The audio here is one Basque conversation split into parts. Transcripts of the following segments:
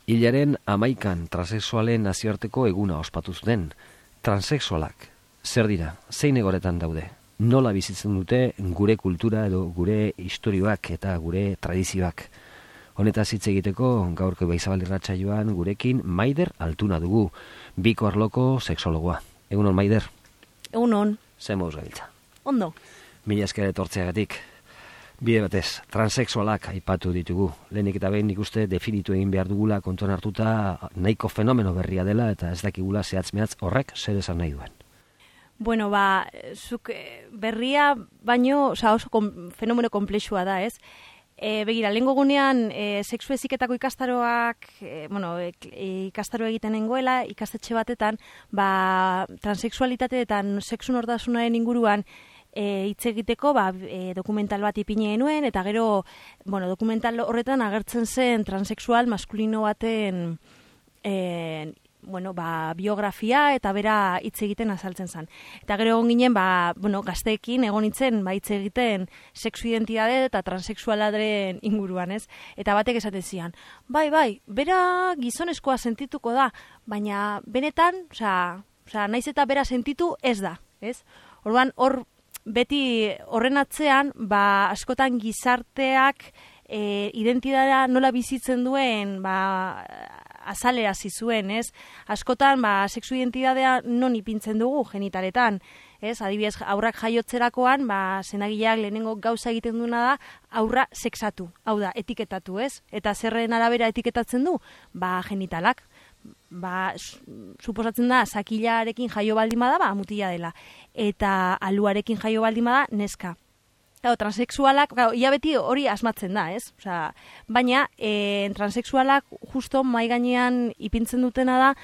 Hilaren 11 transexualen nazioarteko eguna ospatu zuten. Transexualak, zer dira, zein egoretan daude? Nola bizitzen dute gure kultura edo gure istorioak eta gure tradizioak? Honetaz hitz egiteko gaurko Ibaizabal irratsaioan gurekin Maider Altuna dugu, Biko arloko sexologoa. Egunon, Maider? Egunon. Zer moduz gabiltza? Ondo. Mila esker etortzeagatik. Bide batez, transexualak aipatu ditugu. Lehenik eta behin nik uste definitu egin behar dugula kontuan hartuta nahiko fenomeno berria dela eta ez dakigula zehatz-mehatz horrek zer esan nahi duen. Bueno, zuk berria baino, oso fenomeno komplexua da, ez? Begira, lehengo gunean, sexu heziketako ikastaroak, ikastaro egiten nengoela, ikastetxe batetan, transexualitate eta sexu nortasunaren inguruan hitz egiteko dokumental bat ipini genuen, eta gero, dokumental horretan agertzen zen transexual maskulino baten biografia eta bera hitz egiten azaltzen zen. Eta gero egon ginen, gazteekin egon nintzen hitz egiten sexu identitate eta transexualaren inguruan, ez? Eta batek esaten zian, bai, bera gizonezkoa sentituko da, baina benetan, naiz eta bera sentitu ez da, ez? Orduan, beti horren atzean, askotan gizarteak identitatea nola bizitzen duen, azalera zizuen, ez? Askotan, sexu identitatea non ipintzen dugu genitaletan, ez? Adibidez, aurrak jaiotzerakoan, senagileak lehenengo gauza egiten duena da, aurra sexatu, hau da, etiketatu, ez? Eta zerren arabera etiketatzen du? Genitalak. Suposatzen da, zakilarekin jaio baldin bada, mutila dela. Eta aluarekin jaio baldin bada, neska. Transexualak, ia beti hori asmatzen da, ez? Baina, transexualak justo mai gainean ipintzen dutena da,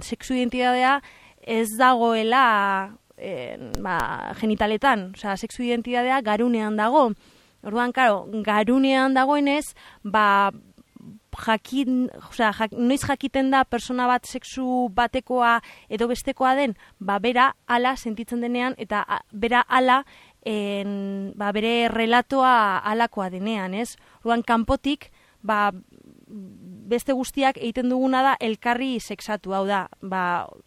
sexu identitatea ez dagoela genitaletan, sexu identitatea garunean dago. Orduan, garunean dagoenez, noiz jakiten da persona bat sexu batekoa edo bestekoa den, bera ala sentitzen denean, eta bera ala bere relatoa alakoa denean, ez? Orduan, kanpotik, beste guztiak egiten duguna da elkarri sexatu, hau da,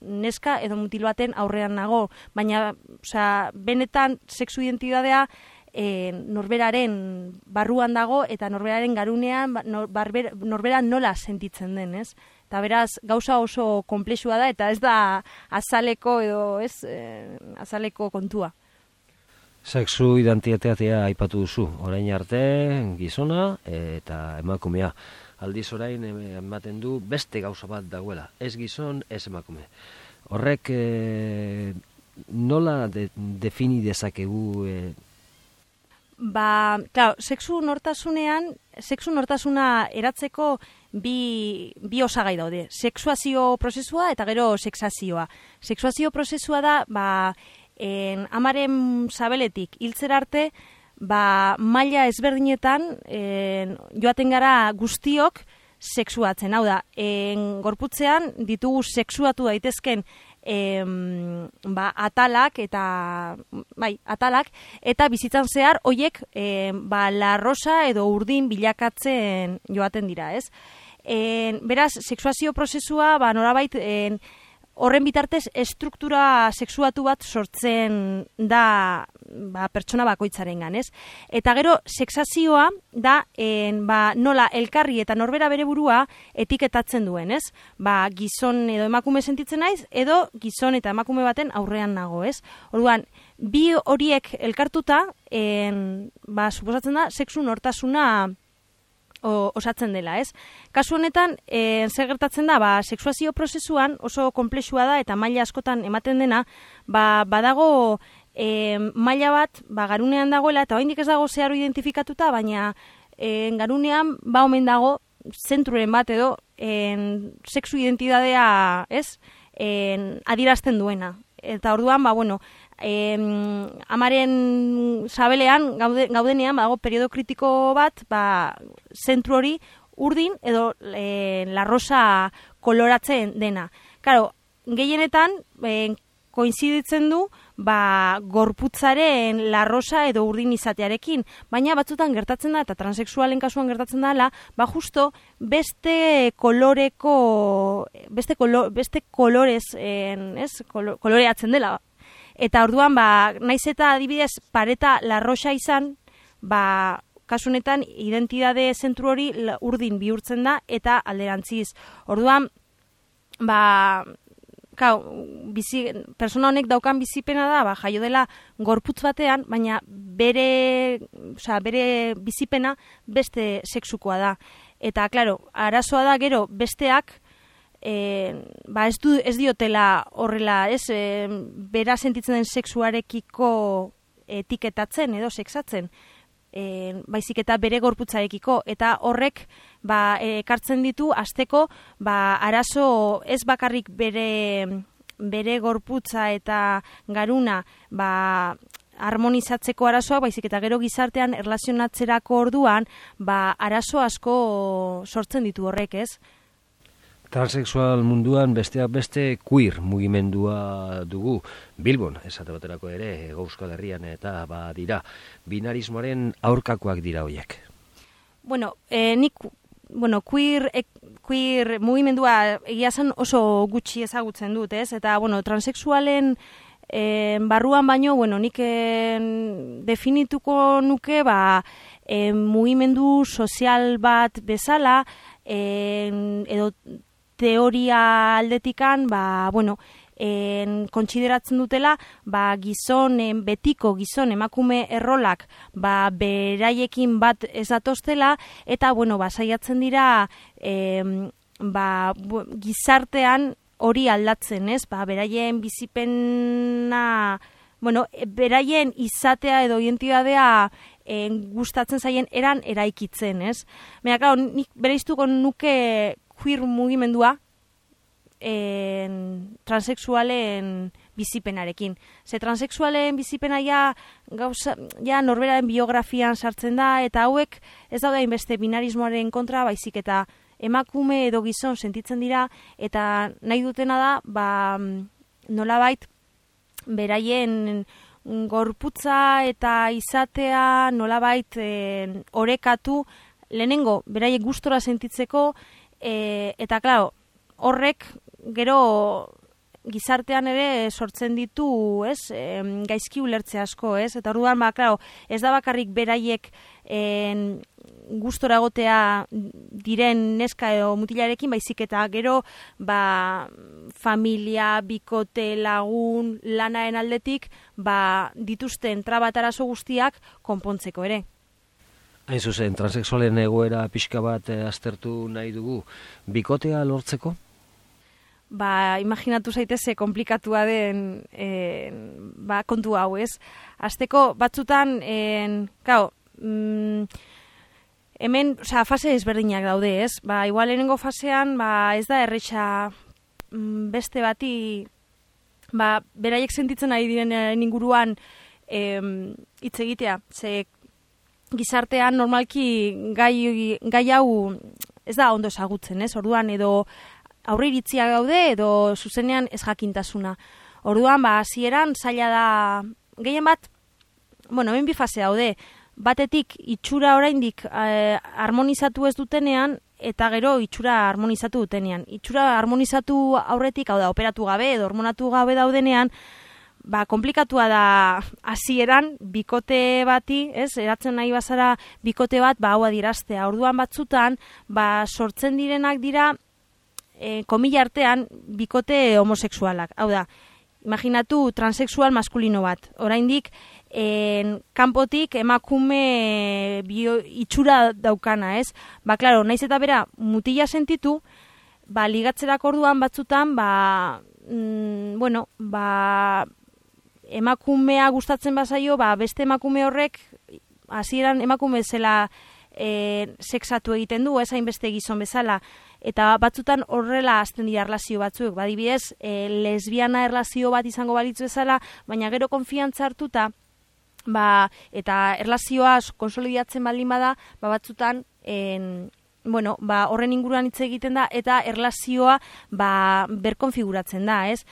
neska edo mutil baten aurrean nago, baina, benetan sexu identitatea norberaren barruan dago eta norberaren garunean norbera nola sentitzen den, ez? Eta beraz, gauza oso konplexua da eta ez da azaleko edo, ez, azaleko kontua. Sexu identitatea aipatu duzu, orain arte gizona eta emakumea. Aldiz orain ematen du beste gauza bat dagoela, ez gizon, ez emakume. Horrek nola defini dezakegu? Sexu nortasuna eratzeko bi osagai daude. Sexuazio prozesua eta gero sexazioa. Sexuazio prozesua da, amaren sabeletik hiltzera arte, maila ezberdinetan joaten gara guztiok sexuatzen. Hau da, gorputzean ditugu sexuatu daitezken atalak eta bizitzan zehar hoiek larrosa edo urdin bilakatzen joaten dira, ez? Beraz, sexuazio prozesua norabait horren bitartez estruktura sexuatu bat sortzen da pertsona bakoitzarengan, ez? Eta gero, sexazioa da nola elkarri eta norbera bere burua etiketatzen duen, ez? Gizon edo emakume sentitzen naiz, edo gizon eta emakume baten aurrean nago, ez? Orduan, bi horiek elkartuta, suposatzen da, sexu nortasuna osatzen dela, ez? Kasu honetan, zer gertatzen da, sexuazio prozesuan oso konplexua da eta maila askotan ematen dena, badago maila bat, garunean dagoela, eta oraindik ez dago zeharo identifikatuta, baina garunean omen dago zentruren bat edo sexu identitatea, ez? Adierazten duena. Eta orduan, amaren sabelean gaudenean, badago periodo kritiko bat, zentru hori urdin edo larrosa koloratzen dena. Gehienetan, koinziditzen du gorputzaren larrosa edo urdin izatearekin, baina batzutan gertatzen da, eta transexualen kasuan gertatzen dela, justo beste kolorez, koloreatzen dela. Eta orduan, naiz eta adibidez pareta larrosa izan, kasunetan identitate zentru hori urdin bihurtzen da eta alderantziz. Orduan, persona honek daukan bizipena da, jaio dela gorputz batean, baina bere bizipena beste sexukoa da. Eta, klaro, arazoa da gero besteak, ez diotela horrela, bera sentitzen den sexuarekiko etiketatzen edo sexatzen, baizik eta bere gorputzarekiko, eta horrek ekartzen ditu hasteko arazo ez bakarrik bere gorputza eta garuna harmonizatzeko arazoa, baizik eta gero gizartean erlazionatzerako orduan arazo asko sortzen ditu horrek, ez? Transexual munduan besteak beste queer mugimendua dugu. Bilbon, esate baterako ere, Euskal Herrian eta dira. Binarismoaren aurkakoak dira hoiek. Queer mugimendua egia zen oso gutxi ezagutzen dut, ez? Eta, transexualen barruan baino, nik definituko nuke, mugimendu sozial bat bezala, edo teoria aldetikan, kontsideratzen dutela, betiko gizon emakume errolak, beraiekin bat ez datoztela, eta, saiatzen dira, gizartean hori aldatzen, ez? Beraien bizipena, beraien izatea edo identitatea gustatzen zaien eran eraikitzen, ez? Baina, nik bereiztuko nuke queer mugimendua transexualen bizipenarekin. Ze transexualen bizipena ja norberaren biografian sartzen da, eta hauek ez daude hainbeste binarismoaren kontra, baizik eta emakume edo gizon sentitzen dira, eta nahi dutena da, nolabait beraien gorputza eta izatea nolabait orekatu, lehenengo beraiek gustora sentitzeko, eta, klaro, horrek gero gizartean ere sortzen ditu, ez, gaizki ulertze asko, ez, eta orduan, klaro, ez da bakarrik beraiek gustora egotea diren neska edo mutilarekin, baizik eta gero, familia, bikote, lagun, lanaren aldetik, dituzten trabatarazo guztiak konpontzeko ere. Hain zuzen, transexualen egoera pixka bat aztertu nahi dugu, bikotea lortzeko? Imaginatu zaiteze komplikatua den kontu hau, ez? Azteko batzutan, hemen, fase ezberdinak daude, ez? Igual lehenengo fasean, ez da erretxa beste bati, beraiek sentitzen ari diren inguruan hitz egitea, ze gizartean normalki gai hau ez da ondo ezagutzen, ez? Orduan edo aurreiritziak daude edo zuzenean ez jakintasuna. Orduan, hasieran zaila da gehien bat, hemen bi fase daude. Batetik itxura oraindik harmonizatu ez dutenean, eta gero itxura harmonizatu dutenean. Itxura harmonizatu aurretik, hau da, operatu gabe edo hormonatu gabe daudenean, komplikatua da hasieran bikote bati, ez, eratzen nahi bazara bikote bat, hau adieraztea. Orduan batzutan, sortzen direnak dira, komila artean, bikote homosexualak. Hau da, imaginatu transexual maskulino bat. Oraindik, kanpotik emakume itxura daukana, ez? Klaro, naiz eta bera mutila sentitu, ligatzerako orduan batzutan, emakumea gustatzen bazaio, beste emakume horrek, hasieran emakume zela sexatu egiten du, ez hainbeste gizon bezala, eta batzutan horrela hasten dira erlazio batzuk, adibidez, lesbiana erlazio bat izango balitzu bezala, baina gero konfiantza hartuta, eta erlazioa konsolidatzen baldin bada, batzutan, horren inguruan hitz egiten da, eta erlazioa berkonfiguratzen da, ez?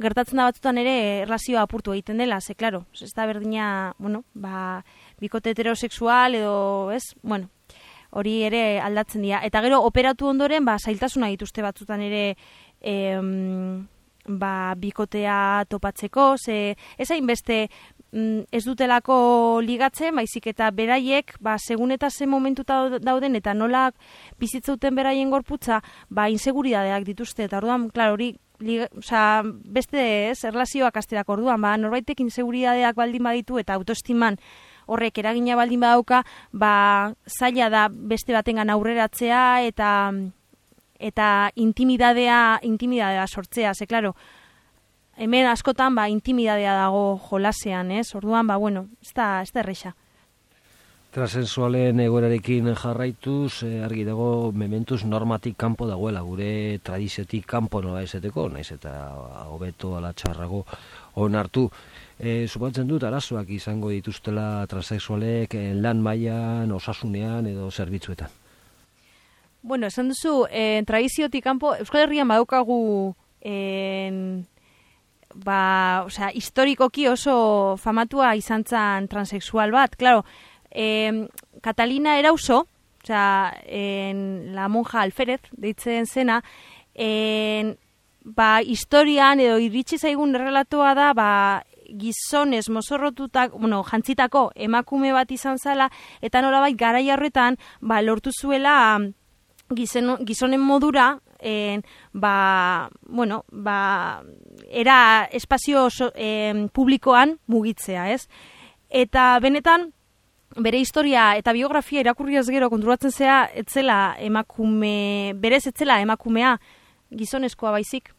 gertatzen da batzutan ere erlazioa apurtu egiten dela, ze, klaro, ez da berdina, bueno, ba, bikote heterosexual edo, ez, bueno, hori ere aldatzen dira. Eta gero, operatu ondoren, ba, zailtasuna dituzte batzutan ere, ba, bikotea topatzeko, ze, ez hainbeste, ez dutelako ligatzen, baizik eta beraiek, ba, segun eta ze momentuta dauden, eta nola bizitzauten beraien gorputza, ba, inseguridadeak dituzte, eta orduan, klar, hori, beste ez, erlazioak asterak orduan, ba, norbaitek inseguridadeak baldin baditu, eta autoestiman horrek eragina baldin badauka, ba, zaila da beste batengan aurreratzea, eta intimidadea sortzea, ze, klaro, hemen askotan, ba, intimidadea dago jolasean, ez? Orduan, ba, bueno, ez da erresa. Transexualen egoerarekin jarraituz, argi dago mementuz normatik kanpo dagoela, gure tradiziotik kanpo nola ezeteko, naiz eta hobeto ala txarrago onartu. Suposatzen dut arazoak izango dituztela transexualek lan mailan, osasunean edo zerbitzuetan. Bueno, esan duzu, tradiziotik kanpo, Euskal Herrian badaukagu historikoki oso famatua izan zen transexual bat. Claro, Catalina Erauso, la monja alferez, deitzen zena, historian edo iritsi zaigun relatoa da, gizonez mozorrotutak, jantzitako emakume bat izan zala, eta nolabait garai horretan, lortu zuela gizonen modura, era espazio publikoan mugitzea, ez? Eta benetan, bere historia eta biografia irakurriaz gero konturatzen zea, berez etzela emakumea gizonezkoa baizik.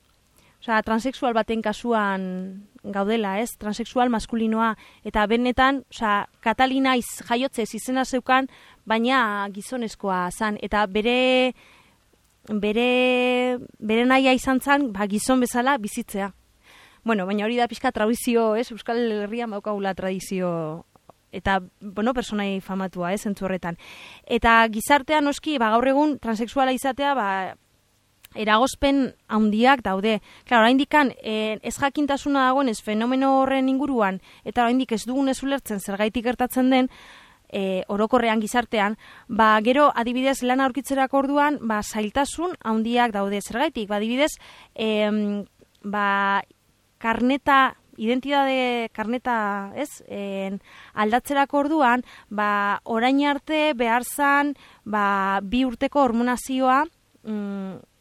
Osea, transexual baten kasuan gaudela, ez? Transexual maskulinoa. Eta benetan, Catalina jaiotzez izena zeukan, baina gizonezkoa zan. Eta bere nahia izan zan, gizon bezala bizitzea. Bueno, baina hori da pixka tradizio, ez? Euskal Herrian baukagula tradizio eta, personai famatua, ez? Zentzu horretan. Eta gizartean noski, gaur egun transexuala izatea, eragozpen handiak daude. Claro, oraindikan ez jakintasuna dagoen ez fenomeno horren inguruan, eta oraindik ez dugun ez ulertzen zergaitik gertatzen den, orokorrean gizartean, gero adibidez lan aurkitzerako orduan, zailtasun handiak daude zergaitik. Adibidez, identitate karneta, ez? Aldatzerako orduan, orain arte behar zan, 2 urteko hormonazioa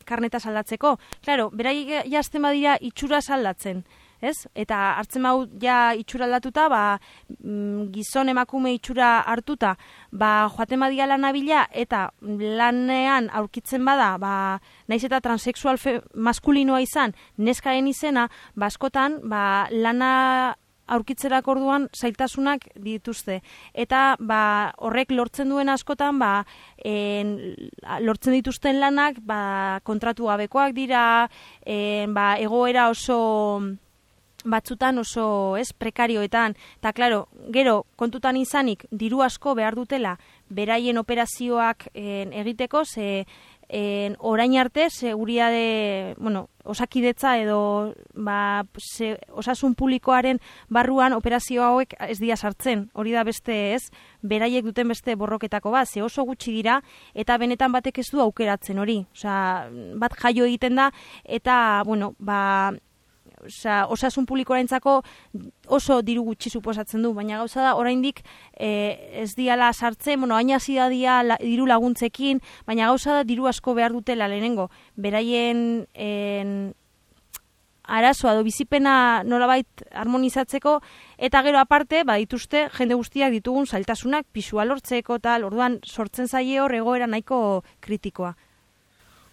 karneta saldatzeko. Claro, berai jazten badira itxura saldatzen, ez? Eta hartzen bau ja itxura aldatuta, gizon emakume itxura hartuta, joaten badia lana bila, eta lanean aurkitzen bada, naiz eta transexual maskulinoa izan, neskaren izena, askotan, lana aurkitzerako orduan zailtasunak dituzte. Eta horrek lortzen duen askotan, lortzen dituzten lanak kontratu gabekoak dira, egoera oso batzutan oso prekarioetan. Eta, klaro, gero kontutan izanik diru asko behar dutela beraien operazioak egiteko, orain arte, seguritate, osakidetza edo osasun publikoaren barruan operazio hauek ez dira sartzen. Hori da beste, ez, beraiek duten beste borroketako bat, ze oso gutxi dira, eta benetan batek ez du aukeratzen hori. Bat jaio egiten da, eta, osasun publikoarentzako oso diru gutxi suposatzen du, baina gauza da, oraindik ez diala sartzen, hain hasi da diru laguntzekin, baina gauza da diru asko behar dutela lehenengo, beraien arazoa edo bizipena nolabait harmonizatzeko, eta gero aparte, dituzte jende guztiak ditugun zailtasunak, pisua lortzeko tal, orduan sortzen zaie hor egoera nahiko kritikoa.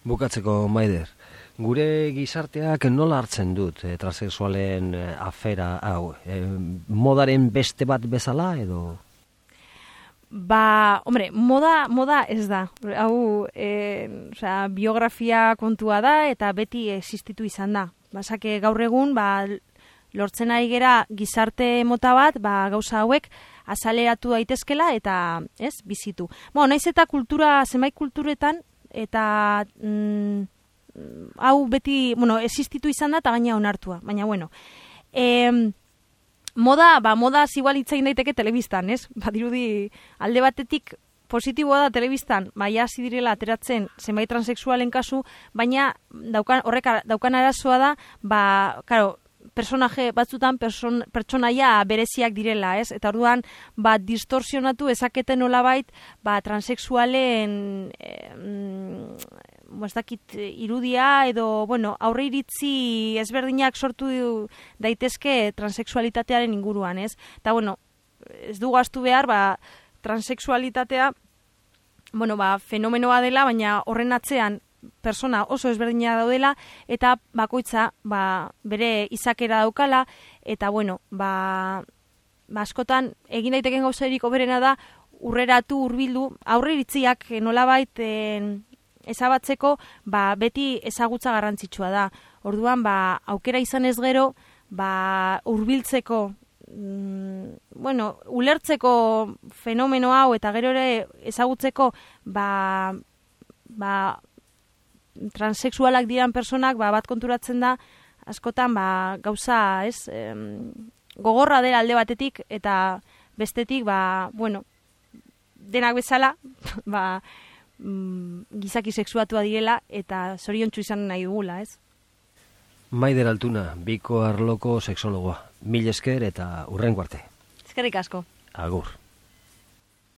Bukatzeko, Maider, gure gizarteak nola hartzen dut transexualen afera hau? Modaren beste bat bezala edo? Moda ez da. Hau, biografia kontua da eta beti existitu izan da. Basake gaur egun, lortzen ari gera gizarte mota bat, gauza hauek azaleratu daitezkela eta, bizitu. Naiz eta zenbait kulturetan, eta hau beti, existitu izan da, eta gaina onartua, baina, moda igual itzain daiteke telebistan, ez? Badirudi alde batetik positiboa da telebistan, hasi direla ateratzen zenbait transexualen kasu, baina horrek daukan arazoa da, claro, personaje batzutan pertsonaia bereziak direla, ez? Eta orduan, distorsionatu ezaketen nolabait, transexualen ez dakit irudia edo, aurre iritzi ezberdinak sortu daitezke transexualitatearen inguruan, ez? Eta, ez du gaztu behar, transexualitatea, fenomenoa dela, baina horren atzean persona oso ezberdina daudela, eta bakoitza bere izakera daukala, eta askotan egin daiteken gauzarik hoberena da urreratu, hurbildu, aurreiritziak nolabait ezabatzeko, beti ezagutza garrantzitsua da. Orduan, aukera izan ez gero, hurbiltzeko, ulertzeko fenomeno hau eta gero ere ezagutzeko transexualak diran personak bat konturatzen da askotan gauza gogorra dela alde batetik eta bestetik denak bezala gizaki sexuatua direla eta zoriontsu izan nahi dugula, ez? Maider Altuna, Biko arloko sexologoa. Mil esker eta hurrengo arte. Eskerrik asko. Agur.